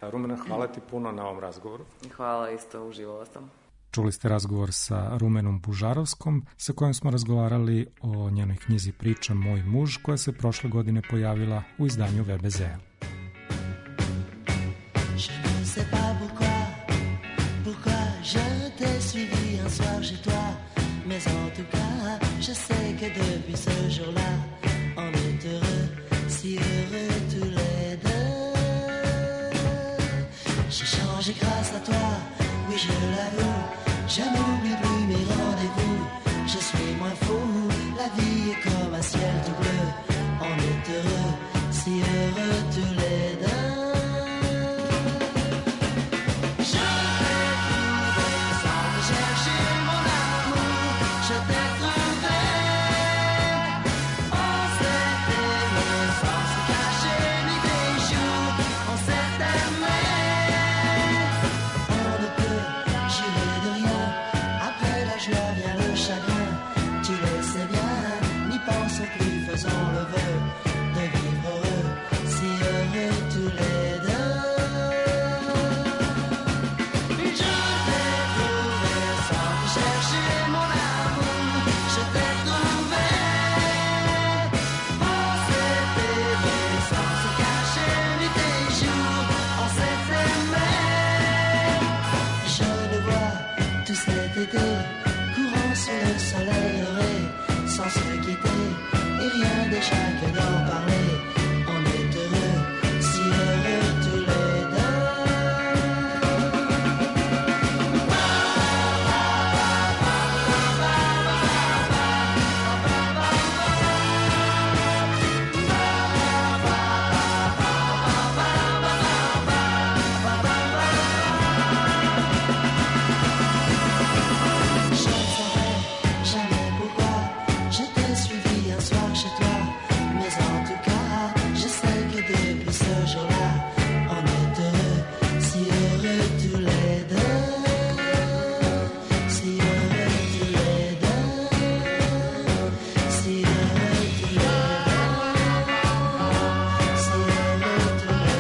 Rumena, hvala ti puno na ovom razgovoru. Hvala, isto uživala sam. Čuli ste razgovor sa Rumenom Bužarovskom, sa kojom smo razgovarali o njenoj knjizi Priča Moj muž, koja se prošle godine pojavila u izdanju VBZ-a. Mais en tout cas, je sais que depuis ce jour-là, on est heureux, si heureux tous les deux. J'ai changé grâce à toi, oui je l'avoue, je n'oublie plus mes rendez-vous, je suis moins fou, la vie est comme un ciel tout bleu, on est heureux, si heureux tous les deux. Tous les deux, je t'ai se quitter et rien déjà que d'en parler. On est heureux, si heureux tous les deux. Je ne saurais jamais pourquoi je t'ai suivi un soir chez toi, mais en tout cas, je sais que depuis ce jour-là, on est heureux, si heureux tous les deux, si heureux tous les deux, si heureux tous les deux, si heureux tous les deux, si heureux tous les deux.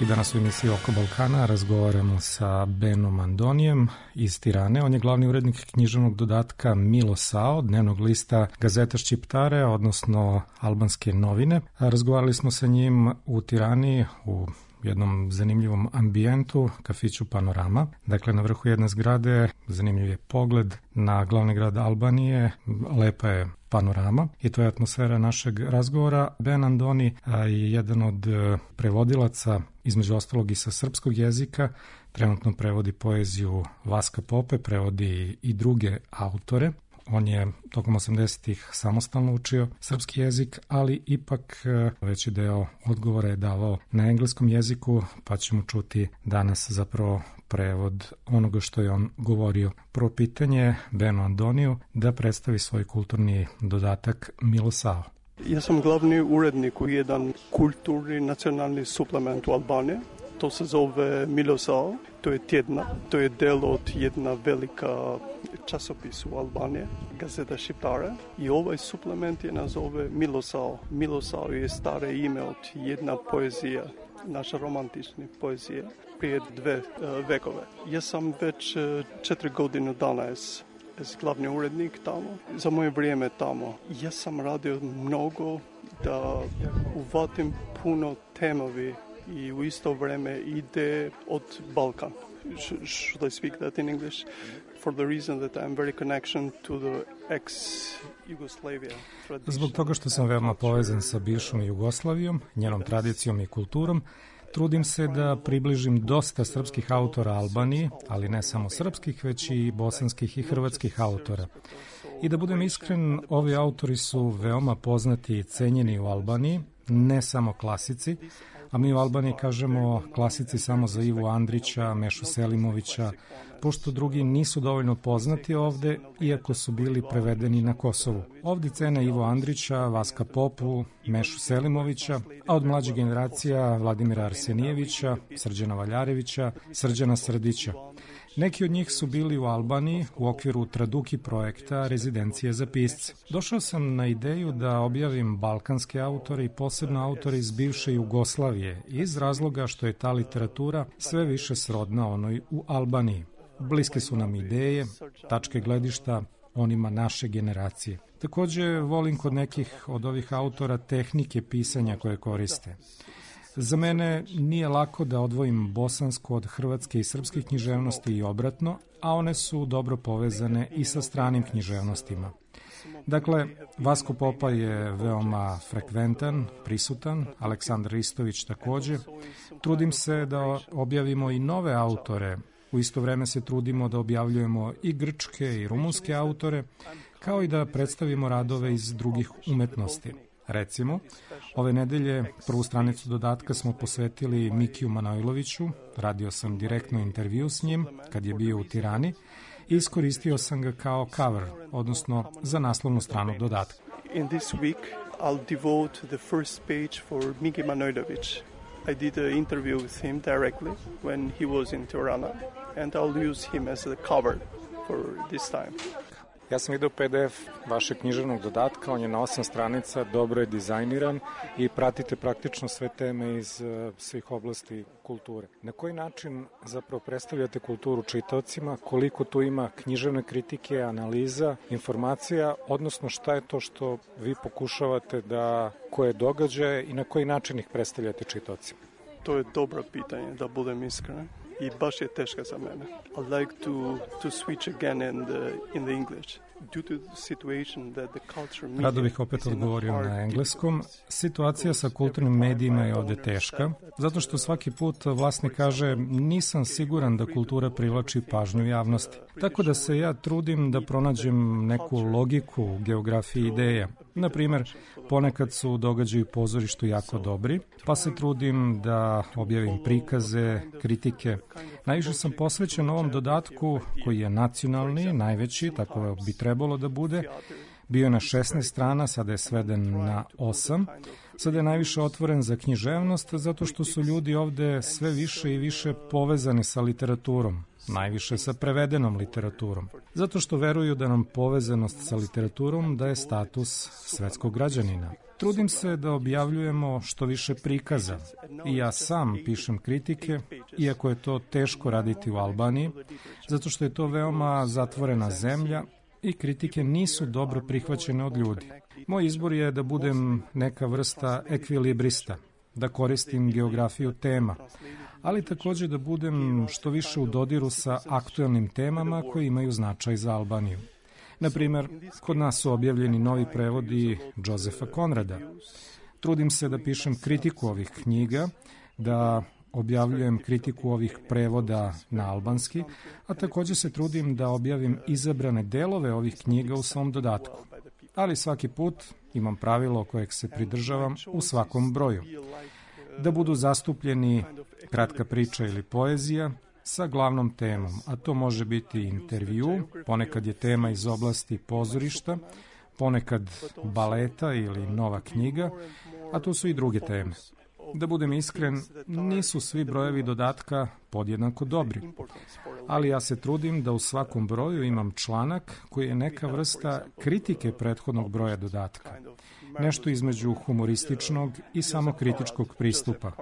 I danas u emisiji Oko Balkana razgovaramo sa Benom Andonijem iz Tirane. On je glavni urednik književnog dodatka Milo Sao, dnevnog lista Gazeta Šćiptare, odnosno Albanske novine. Razgovarali smo sa njim u Tirani u jednom zanimljivom ambijentu, kafiću Panorama. Dakle, na vrhu jedne zgrade zanimljiv je pogled na glavni grad Albanije, lepa je panorama i to je atmosfera našeg razgovora. Ben Andoni je jedan od prevodilaca, između ostalog i sa srpskog jezika, trenutno prevodi poeziju Vaska Pope, prevodi i druge autore. On je tokom 80-ih samostalno učio srpski jezik, ali ipak veći deo odgovora je davao na engleskom jeziku, pa ćemo čuti danas zapravo prevod onoga što je on govorio. Prvo pitanje Benu Andoniju da predstavi svoj kulturni dodatak Milo Sao. Ja sam glavni urednik u jedan kulturni nacionalni suplement u Albaniji. To se zove Milo Sao, to je tjedna, to je del od jedna velika časopis u Albaniji, Gazeta Šćiptare. I ovaj suplement je nazove Milo Sao. Milo Sao je stare ime od jedna poezija, naša romantična poezija, prije 2 vekove. Ja sam već 4 godine danas glavni urednik tamo. Za moje vrijeme tamo ja sam radio mnogo da uvatim puno temovi i u isto vrijeme ide od Balkan. Should I speak that in English? For the reason that I'm very connection to the ex-Yugoslavia tradition. Zbog toga što sam veoma povezan sa bivšom Jugoslavijom, njenom tradicijom i kulturom, trudim se da približim dosta srpskih autora Albaniji, ali ne samo srpskih, već i bosanskih i hrvatskih autora. I da budem iskren, ovi autori su veoma poznati i cenjeni u Albaniji, ne samo klasici, a mi u Albaniji kažemo klasici samo za Ivu Andrića, Mešu Selimovića, pošto drugi nisu dovoljno poznati ovde, iako su bili prevedeni na Kosovu. Ovde cene Ivo Andrića, Vaska Popu, Mešu Selimovića, a od mlađih generacija Vladimira Arsenijevića, Srđana Valjarevića, Srđana Srdića. Neki od njih su bili u Albaniji u okviru Traduki projekta Rezidencije za pisce. Došao sam na ideju da objavim balkanske autore i posebno autore iz bivše Jugoslavije iz razloga što je ta literatura sve više srodna onoj u Albaniji. Bliske su nam ideje, tačke gledišta onima naše generacije. Takođe volim kod nekih od ovih autora tehnike pisanja koje koriste. Za mene nije lako da odvojim bosansku od hrvatske i srpske književnosti i obratno, a one su dobro povezane i sa stranim književnostima. Dakle, Vasko Popa je veoma frekventan, prisutan, Aleksandar Ristović takođe. Trudim se da objavimo i nove autore, u isto vreme se trudimo da objavljujemo i grčke i rumunske autore, kao i da predstavimo radove iz drugih umetnosti. Recimo, ove nedelje prvu stranicu dodatka smo posvetili Mikiju Manojloviću, radio sam direktno intervju s njim kad je bio u Tirani i iskoristio sam ga kao cover, odnosno za naslovnu stranu dodatka. In this week I'll devote the first page for Miki Manojlović. I did an interview with him directly when he was in Tirana and I'll use him as the cover for this time. Ja sam vidio PDF vašeg književnog dodatka, on je na 8 stranica, dobro je dizajniran i pratite praktično sve teme iz svih oblasti kulture. Na koji način zapravo predstavljate kulturu čitaocima, koliko tu ima književne kritike, analiza, informacija, odnosno šta je to što vi pokušavate da, koje događaje i na koji način ih predstavljate čitaocima? To je dobro pitanje, da budem iskren. I baš je teška za mene. I like to switch again in the English. Rado bih opet odgovorio na engleskom. Situacija sa kulturnim medijima je ovde teška, zato što svaki put vlasnik kaže nisam siguran da kultura privlači pažnju javnosti. Tako da se ja trudim da pronađem neku logiku u geografiji ideja. Naprimer, ponekad su događaji u pozorištu jako dobri, pa se trudim da objavim prikaze, kritike. Najviše sam posvećen ovom dodatku koji je nacionalni, najveći, tako bi trebalo da bude. Bio je na 16 strana, sada je sveden na 8. Sada je najviše otvoren za književnost, zato što su ljudi ovde sve više i više povezani sa literaturom. Najviše sa prevedenom literaturom. Zato što veruju da nam povezanost sa literaturom daje status svetskog građanina. Trudim se da objavljujemo što više prikaza. I ja sam pišem kritike, iako je to teško raditi u Albaniji, zato što je to veoma zatvorena zemlja i kritike nisu dobro prihvaćene od ljudi. Moj izbor je da budem neka vrsta ekvilibrista, da koristim geografiju tema, ali takođe da budem što više u dodiru sa aktuelnim temama koji imaju značaj za Albaniju. Naprimer, kod nas su objavljeni novi prevodi Josefa Konrada. Trudim se da pišem kritiku ovih knjiga, da objavljujem kritiku ovih prevoda na albanski, a takođe se trudim da objavim izabrane delove ovih knjiga u svom dodatku. Ali svaki put imam pravilo kojeg se pridržavam u svakom broju. Da budu zastupljeni kratka priča ili poezija sa glavnom temom, a to može biti intervju, ponekad je tema iz oblasti pozorišta, ponekad baleta ili nova knjiga, a to su i druge teme. Da budem iskren, nisu svi brojevi dodatka podjednako dobri, ali ja se trudim da u svakom broju imam članak koji je neka vrsta kritike prethodnog broja dodatka, nešto između humorističnog i samokritičkog pristupa.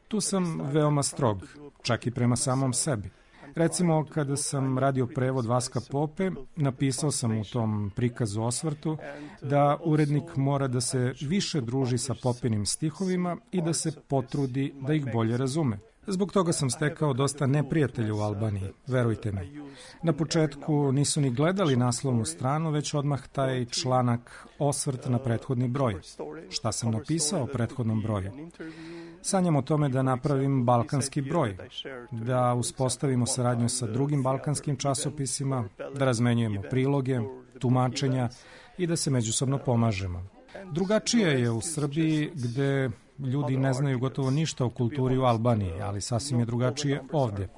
Tu sam veoma strog, čak i prema samom sebi. Recimo, kada sam radio prevod Vaska Pope, napisao sam u tom prikazu osvrtu da urednik mora da se više druži sa Popinim stihovima i da se potrudi da ih bolje razume. Zbog toga sam stekao dosta neprijatelja u Albaniji, verujte mi. Na početku nisu ni gledali naslovnu stranu, već odmah taj članak osvrt na prethodni broj. Šta sam napisao o prethodnom broju? Sanjam o tome da napravim balkanski broj, da uspostavimo saradnju sa drugim balkanskim časopisima, da razmenjujemo priloge, tumačenja i da se međusobno pomažemo. Drugačije je u Srbiji gde ljudi ne znaju gotovo ništa o kulturi u Albaniji, ali sasvim je drugačije ovde.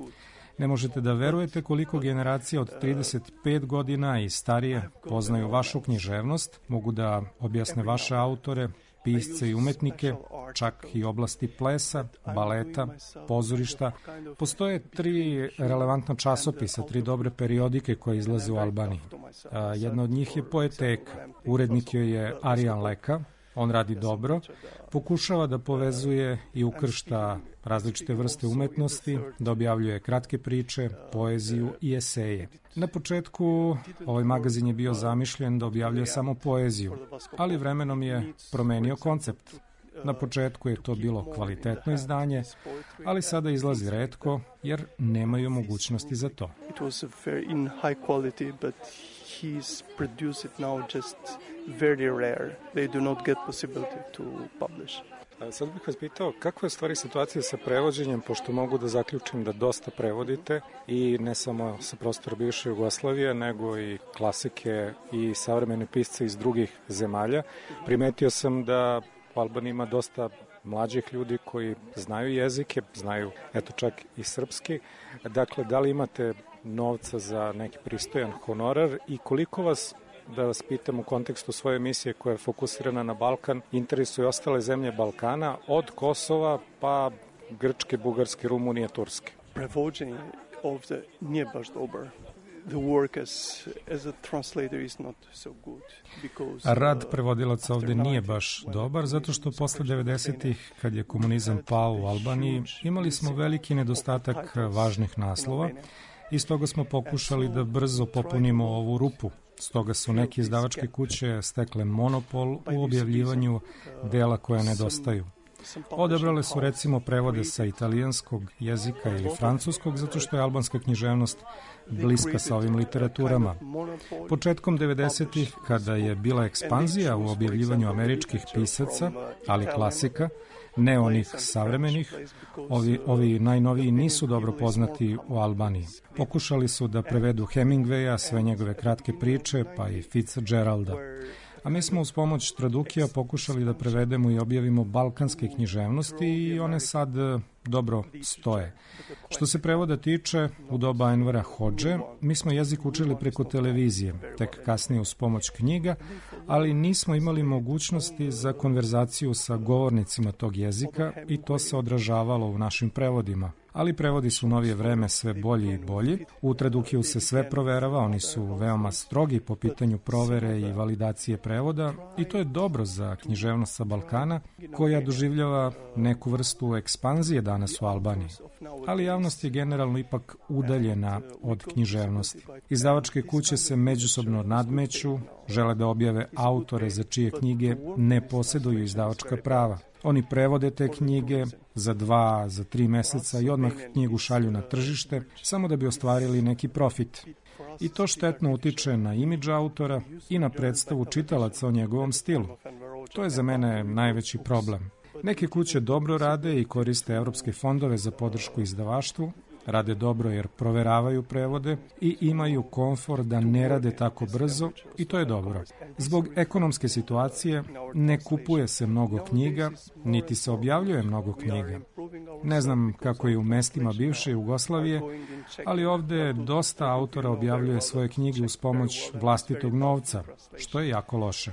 Ne možete da verujete koliko generacija od 35 godina i starije poznaju vašu književnost, mogu da objasne vaše autore, pisce i umetnike, čak i oblasti plesa, baleta, pozorišta. Postoje 3 relevantna časopisa, 3 dobre periodike koje izlaze u Albaniji. Jedna od njih je Poeteka. Urednik joj je Arijan Leka. On radi dobro, pokušava da povezuje i ukršta različite vrste umetnosti, da objavljuje kratke priče, poeziju i eseje. Na početku ovaj magazin je bio zamišljen da objavljuje samo poeziju, ali vremenom je promenio koncept. Na početku je to bilo kvalitetno izdanje, ali sada izlazi retko jer nemaju mogućnosti za to. It was in high quality, but he's produced it now just very rare. They do not get possibility to publish. Sad bih vas pitao, kakva je stvari situacija sa prevođenjem, pošto mogu da zaključim da dosta prevodite i ne samo sa prostora bivše Jugoslavije, nego i klasike i savremene pisce iz drugih zemalja. Primetio sam da u Albaniji ima dosta mlađih ljudi koji znaju jezike, znaju eto čak i srpski. Dakle, da li imate novca za neki pristojan honorar i koliko vas, da vas pitam u kontekstu svoje emisije koja je fokusirana na Balkan, interesuju ostale zemlje Balkana, od Kosova pa Grčke, Bugarske, Rumunije, Turske? Prevođenje ovde nije baš dobar. the work as a translator is not so good because Rad prevodilaca ovde nije baš dobar, zato što posle 90-ih, kad je komunizam pao u Albaniji, imali smo veliki nedostatak važnih naslova i stoga smo pokušali da brzo popunimo ovu rupu. Stoga su neke izdavačke kuće stekle monopol u objavljivanju dela koja nedostaju. Odabrale su recimo prevode sa italijanskog jezika ili francuskog, zato što je albanska književnost bliska sa ovim literaturama. Početkom 90-ih, kada je bila ekspanzija u objavljivanju američkih pisaca, ali klasika, ne onih savremenih, ovi najnoviji nisu dobro poznati u Albaniji. Pokušali su da prevedu Hemingwaya, sve njegove kratke priče, pa i Fitzgeralda. A mi smo uz pomoć Tradukija pokušali da prevedemo i objavimo balkanske književnosti i one sad dobro stoje. Što se prevoda tiče, u doba Envera Hodže, mi smo jezik učili preko televizije, tek kasnije uz pomoć knjiga, ali nismo imali mogućnosti za konverzaciju sa govornicima tog jezika i to se odražavalo u našim prevodima. Ali prevodi su u novije vreme sve bolji i bolji. U Tradukiju se sve proverava, oni su veoma strogi po pitanju provere i validacije prevoda i to je dobro za književnost sa Balkana, koja doživljava neku vrstu ekspanzije danas u Albaniji. Ali javnost je generalno ipak udaljena od književnosti. Izdavačke kuće se međusobno nadmeću, žele da objave autore za čije knjige ne posjeduju izdavačka prava. Oni prevode te knjige za 2, za 3 meseca i odmah knjigu šalju na tržište, samo da bi ostvarili neki profit. I to štetno utiče na imidž autora i na predstavu čitalaca o njegovom stilu. To je za mene najveći problem. Neke kuće dobro rade i koriste evropske fondove za podršku izdavaštvu, rade dobro jer proveravaju prevode i imaju komfor da ne rade tako brzo i to je dobro. Zbog ekonomske situacije ne kupuje se mnogo knjiga, niti se objavljuje mnogo knjiga. Ne znam kako je u mestima bivše Jugoslavije, ali ovde dosta autora objavljuje svoje knjige uz pomoć vlastitog novca, što je jako loše.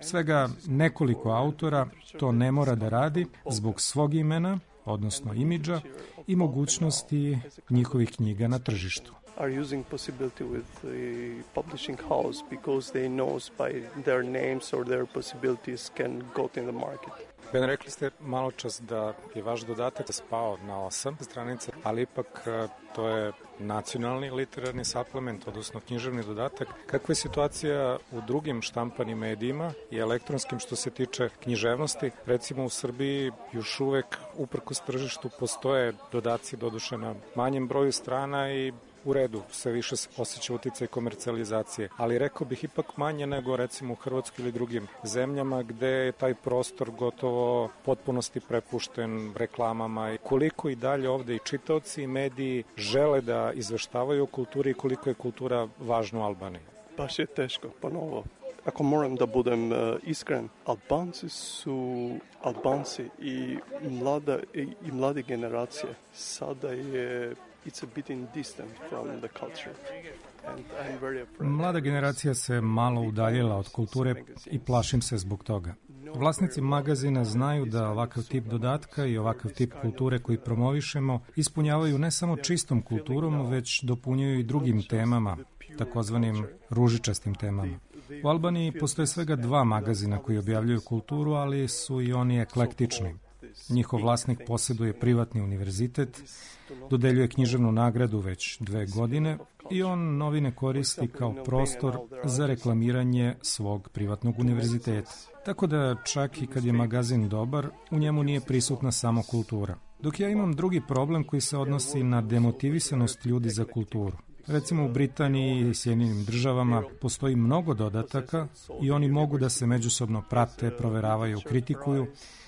Svega nekoliko autora to ne mora da radi zbog svog imena, odnosno imidža i mogućnosti njihovih knjiga na tržištu. Are using possibility with the publishing house because they knows by their names or their possibilities can go in the market. Ben, rekli ste malo čas da je vaš dodatak spao na 8 stranica, ali ipak to je nacionalni literarni suplement, odnosno književni dodatak. Kakva je situacija u drugim štampanim medijima i elektronskim što se tiče književnosti? Recimo u Srbiji još uvek uprkos tržištu postoje dodaci doduše na manjem broju strana i u redu, sve više se osjeća uticaj komercijalizacije, ali rekao bih ipak manje nego recimo u Hrvatskoj ili drugim zemljama gde je taj prostor gotovo potpunosti prepušten reklamama i koliko i dalje ovde i čitaoci i mediji žele da izveštavaju o kulturi i koliko je kultura važna u Albaniji. Baš je teško, ponovo. Ako moram da budem iskren, Albanci i mlade generacije sada je it's a bit distant from the culture. And I'm very afraid. Mlada generacija se malo udaljila od kulture i plašim se zbog toga. Vlasnici magazina znaju da ovakav tip dodatka i ovakav tip kulture koji promovišemo ispunjavaju ne samo čistom kulturom, već dopunjuju i drugim temama, takozvanim ružičastim temama. U Albaniji postoje svega 2 magazina koji objavljuju kulturu, ali su i oni eklektični. Njihov vlasnik posjeduje privatni univerzitet, dodeljuje književnu nagradu već 2 godine i on novine koristi kao prostor za reklamiranje svog privatnog univerziteta. Tako da čak i kad je magazin dobar, u njemu nije prisutna samo kultura. Dok ja imam drugi problem koji se odnosi na demotivisanost ljudi za kulturu. Recimo u Britaniji i Sjedinjenim Državama postoji mnogo dodataka i oni mogu da se međusobno prate, proveravaju, kritikuju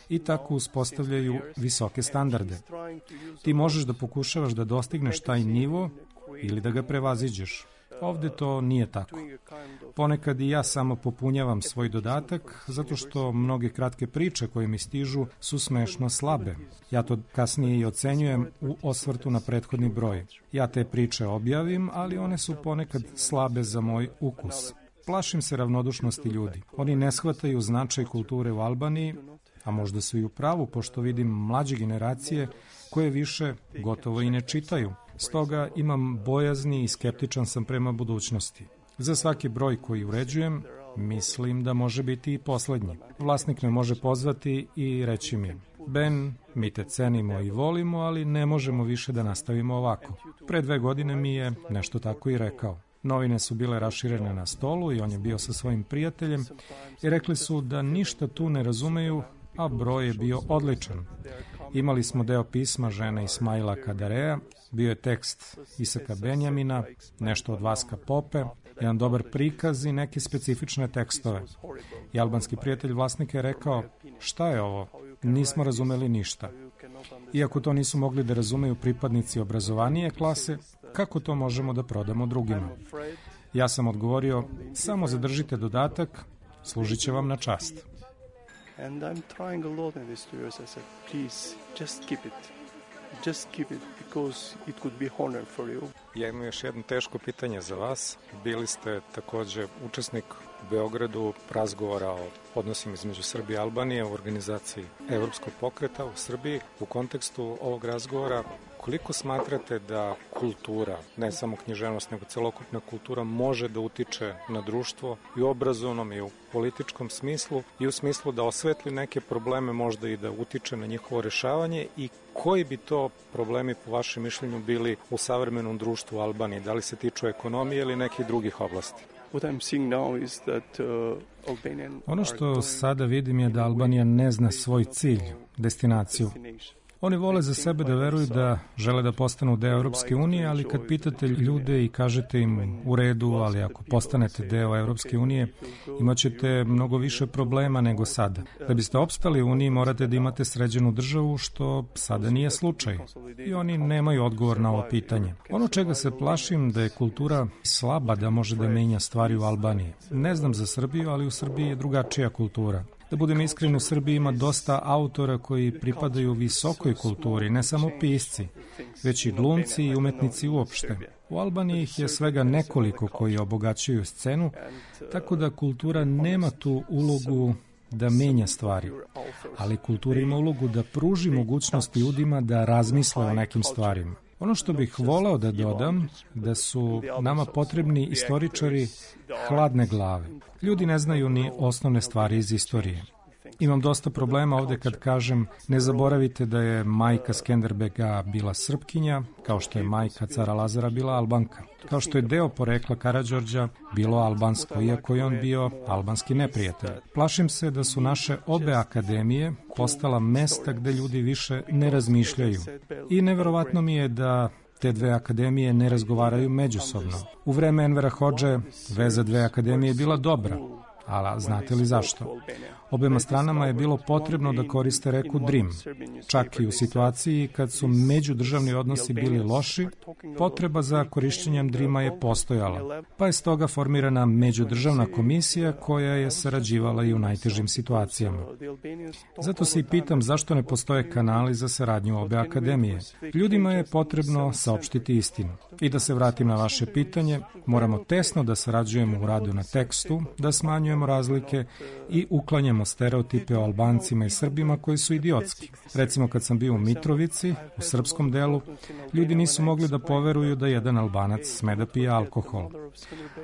i tako uspostavljaju visoke standarde. Ti možeš da pokušavaš da dostigneš taj nivo ili da ga prevaziđeš. Ovde to nije tako. Ponekad i ja samo popunjavam svoj dodatak zato što mnoge kratke priče koje mi stižu su smešno slabe. Ja to kasnije i ocenjujem u osvrtu na prethodni broj. Ja te priče objavim, ali one su ponekad slabe za moj ukus. Plašim se ravnodušnosti ljudi. Oni ne shvataju značaj kulture u Albaniji, a možda su i u pravu, pošto vidim mlađe generacije koje više gotovo i ne čitaju. Stoga imam bojazni i skeptičan sam prema budućnosti. Za svaki broj koji uređujem, mislim da može biti i poslednji. Vlasnik me može pozvati i reći mi: Ben, mi te cenimo i volimo, ali ne možemo više da nastavimo ovako. Pre 2 godine mi je nešto tako i rekao. Novine su bile raširene na stolu i on je bio sa svojim prijateljem i rekli su da ništa tu ne razumeju, a broj je bio odličan. Imali smo deo pisma žene Ismaila Kadareja, bio je tekst Isaka Benjamina, nešto od Vaska Pope, jedan dobar prikaz i neke specifične tekstove. I albanski prijatelj vlasnika je rekao: šta je ovo? Nismo razumeli ništa. Iako to nisu mogli da razumeju pripadnici obrazovanije klase, kako to možemo da prodamo drugima? Ja sam odgovorio: samo zadržite dodatak, služit će vam na čast. And I'm trying a lot in these 2 years. I said, please, just keep it. Just keep it, because it could be honor for you. Ja imam još jedno teško pitanje za vas. Bili ste takođe učesnik u Beogradu razgovora o odnosima između Srbije i Albanije u organizaciji Evropskog pokreta u Srbiji. U kontekstu ovog razgovora, koliko smatrate da kultura, ne samo književnost, nego celokupna kultura, može da utiče na društvo i u obrazovnom i u političkom smislu i u smislu da osvetli neke probleme, možda i da utiče na njihovo rešavanje, i koji bi to problemi po vašem mišljenju bili u savremenom društvu u Albaniji? Da li se tiču ekonomije ili nekih drugih oblasti? Ono što sada vidim je da Albanija ne zna svoj cilj, destinaciju. Oni vole za sebe da veruju da žele da postanu deo Evropske unije, ali kad pitate ljude i kažete im u redu, ali ako postanete deo Evropske unije, imaćete mnogo više problema nego sada. Da biste opstali u Uniji morate da imate sređenu državu, što sada nije slučaj. I oni nemaju odgovor na ovo pitanje. Ono čega se plašim da je kultura slaba da može da menja stvari u Albaniji. Ne znam za Srbiju, ali u Srbiji je drugačija kultura. Da budem iskren, u Srbiji ima dosta autora koji pripadaju visokoj kulturi, ne samo pisci, već i glumci i umetnici uopšte. U Albaniji ih je svega nekoliko koji obogaćuju scenu, tako da kultura nema tu ulogu da menja stvari, ali kultura ima ulogu da pruži mogućnost ljudima da razmisle o nekim stvarima. Ono što bih voleo da dodam, da su nama potrebni istoričari hladne glave. Ljudi ne znaju ni osnovne stvari iz istorije. Imam dosta problema ovde kad kažem: ne zaboravite da je majka Skenderbega bila Srpkinja, kao što je majka cara Lazara bila Albanka, kao što je deo porekla Karađorđa bilo albansko, iako je on bio albanski neprijatelj. Plašim se da su naše obe akademije postala mesta gde ljudi više ne razmišljaju. I neverovatno mi je da te 2 akademije ne razgovaraju međusobno. U vreme Envera Hodže veza 2 akademije je bila dobra, ali znate li zašto? Obema stranama je bilo potrebno da koriste reku Drim. Čak i u situaciji kad su međudržavni odnosi bili loši, potreba za korišćenjem Drima je postojala, pa je stoga formirana međudržavna komisija koja je sarađivala i u najtežim situacijama. Zato se i pitam zašto ne postoje kanali za saradnju obe akademije. Ljudima je potrebno saopštiti istinu. I da se vratim na vaše pitanje, moramo tesno da sarađujemo u radu na tekstu, da smanjujemo razlike i uklanjamo stereotipe o Albancima i Srbima koji su idiotski. Recimo, kad sam bio u Mitrovici, u srpskom delu, ljudi nisu mogli da poveruju da jedan Albanac sme da pije alkohol.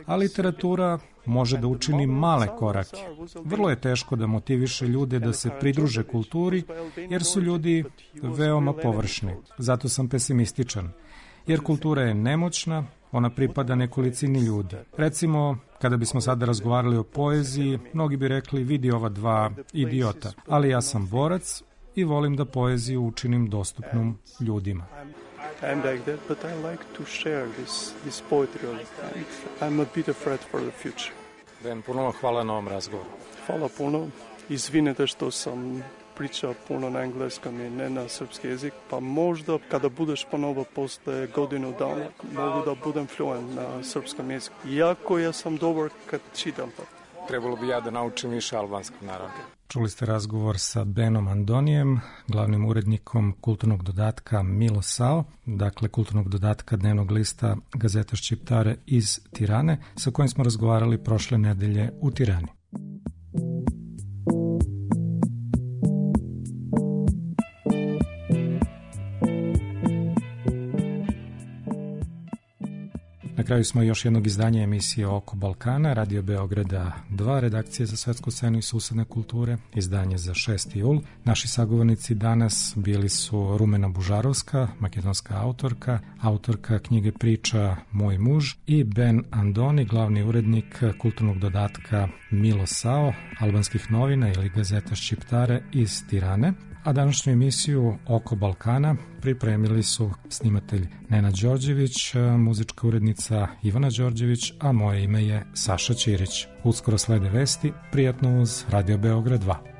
A literatura može da učini male korake. Vrlo je teško da motiviše ljude da se pridruže kulturi, jer su ljudi veoma površni. Zato sam pesimističan. Jer kultura je nemoćna, ona pripada nekolicini ljudi. Recimo, kada bismo sada razgovarali o poeziji, mnogi bi rekli: vidi ova 2 idiota. Ali ja sam borac i volim da poeziju učinim dostupnom ljudima. I'm like that, but I like to share this poetry. And I'm a bit afraid for the future. Ben, puno vam hvala na ovom razgovoru. Hvala puno. Izvinite što sam pričao puno na engleskom i ne na srpski jezik, pa možda kada budeš ponovo posle godinu dana mogu da budem fluent na srpskom jeziku. Iako ja sam dobar kad čitam. Trebalo bi ja da naučim više albanskog, naravno. Čuli ste razgovor sa Benom Andonijem, glavnim urednikom kulturnog dodatka Milo Sao, dakle kulturnog dodatka dnevnog lista Gazeta Šćiptare iz Tirane, sa kojim smo razgovarali prošle nedelje u Tirani. Na kraju smo još jednog izdanja emisije Oko Balkana, Radio Beograda 2, redakcije za svetsku scenu i susedne kulture, izdanje za 6. jul. Naši sagovornici danas bili su Rumena Bužarovska, makedonska autorka knjige priča Moj muž, i Ben Andoni, glavni urednik kulturnog dodatka Milo Sao, albanskih novina ili Gazeta Ščiptare iz Tirane. A današnju emisiju Oko Balkana pripremili su snimatelj Nenad Đorđević, muzička urednica Ivana Đorđević, a moje ime je Saša Ćirić. Uskoro slede vesti, prijatno uz Radio Beograd 2.